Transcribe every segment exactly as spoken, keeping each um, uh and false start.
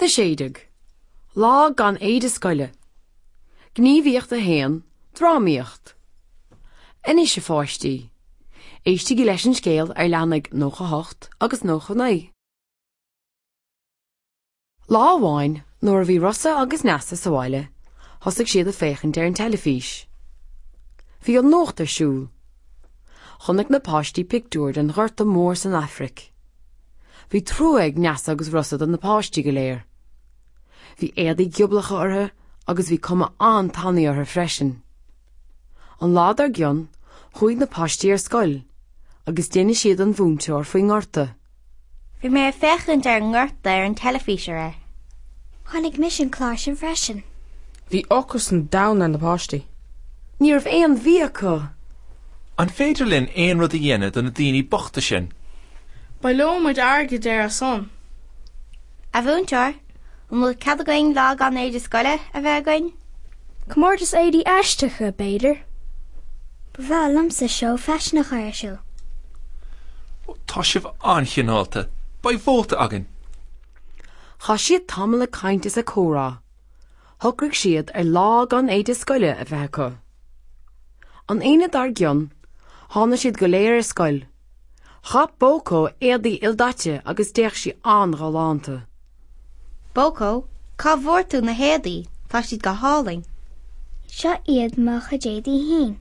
Ceacht a sé déag. Lá gan éide scoile. Gníomhaíocht a haon, drámaíocht. Anois a pháistí. Éistigí leis an scéal ar leathanaigh nócha hocht agus nócha naoi. Lá amháin nuair a bhí Rossa agus Neasa sa bhaile, thosaigh siad ag féachaint ar an teilifís. Bhí an nuacht ar siúl. Chonaic na páistí pictiúr den Ghorta Mór san Afraic. Bhí trua ag Neasa agus Rossa do na páistí go léir. Bhí éadaí gioblacha orthu agus bhí cuma an-tanaí orthu freisin. An lá dár gcionn, chuaigh na páistí ar scoil, agus d'inis siad don mhúinteoir faoin ngorta. Bhí mé ag féachaint ar an ngorta ar an teilifís aréir. Chonaic mise an clár sin freisin. Bhí ocras an domhain ar na páistí. Ní raibh aon bhia acu. An féidir linn aon rud a dhéanamh do na daoine bochta sin? Baileoidh muid airgead ar a son. A mhúinteoir, an bhfuil cead againn lá gan éide scoile a bheith againn? Comórtas éadaí aisteacha b'fhéidir. Ba bhreá liomsa seó faisin a chur ar siúl. Tá sibh an-chineálta, Beidh vóta againn. Chaith siad tamall ag caint is ag comhrá. Shocraigh siad ar lá gan éide scoile a bheith acu. An Aoine dár gcionn, tháinig siad go léir ar scoil. Chaith Bócó éadaí ildaite agus d'fhéach sí an-ghalánta. Bócó, cá bhfuair tú na héadaí, tá siad go hálainn. Seo iad mo chuid éadaí féin.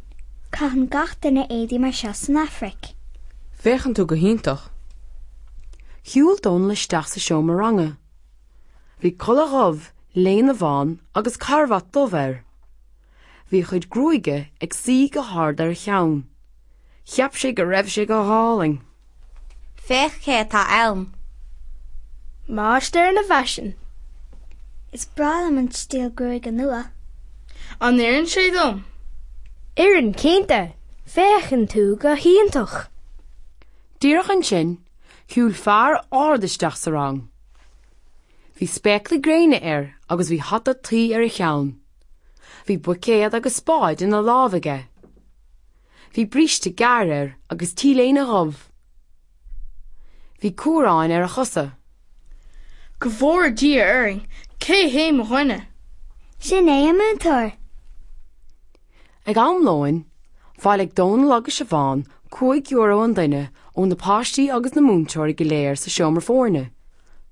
Caitheann gach duine éadaí mar seo san Afraic. Féachann tú go hiontach. Shiúil Dónal isteach sa seomra ranga. Bhí culaith dhubh, léine bhán agus carbhat dubh air. Bhí a chuid gruaige ag suí go hard ar a cheann. Cheap sé go raibh sé go hálainn. Féach cé atá ann. Máistir na bhfaisean. Is breá liom an stíl gruaige nua. An oireann sé dom? Oireann cinnte, féachann tú go hiontach. Díreach ansin, shiúil fear ard isteach sa rang. Bhí spéaclaí gréine air agus bhí hata tuí ar a cheann. Bhí buicéad agus spáid ina lámh aige. Bhí bríste gearr air agus t-léine dhubh. Bhí cuaráin ar a chosa. Go bhfóire Dia orainn, cé hé mo dhuine? Sin é an múinteoir. Ag am lóin, bhailigh Dónal agus Siobhán cúig euro an duine ó na páistí agus na múinteoirí go léir sa seomra foirne.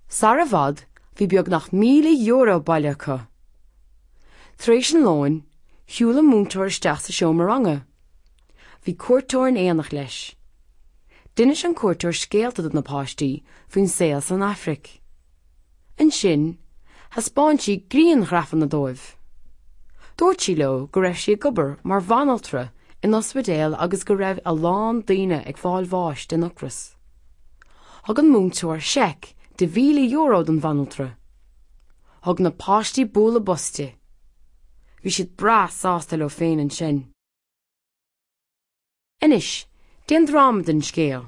Sara i bhfad bhí beagnach míle euro bailithe acu. Tar éis an lóin, shiúil an múinteoir isteach sa seomra ranga. Bhí cuairteoir in éineacht leis. D'inis an cuairteoir scéalta do na páistí faoin saol san Afraic. Ansin, thaispeáin sí grianghrafanna dóibh. Dúirt sí leo go raibh sí ag obair mar bhanaltra in ospidéal agus go raibh a lán daoine ag fáil bháis den ocras. Thug an múinteoir seic de mhíle euro don bhanaltra. Thug na páistí bualadh bos di. Bhí siad breá sásta leo féin ansin. Anois, déan dráma den scéal.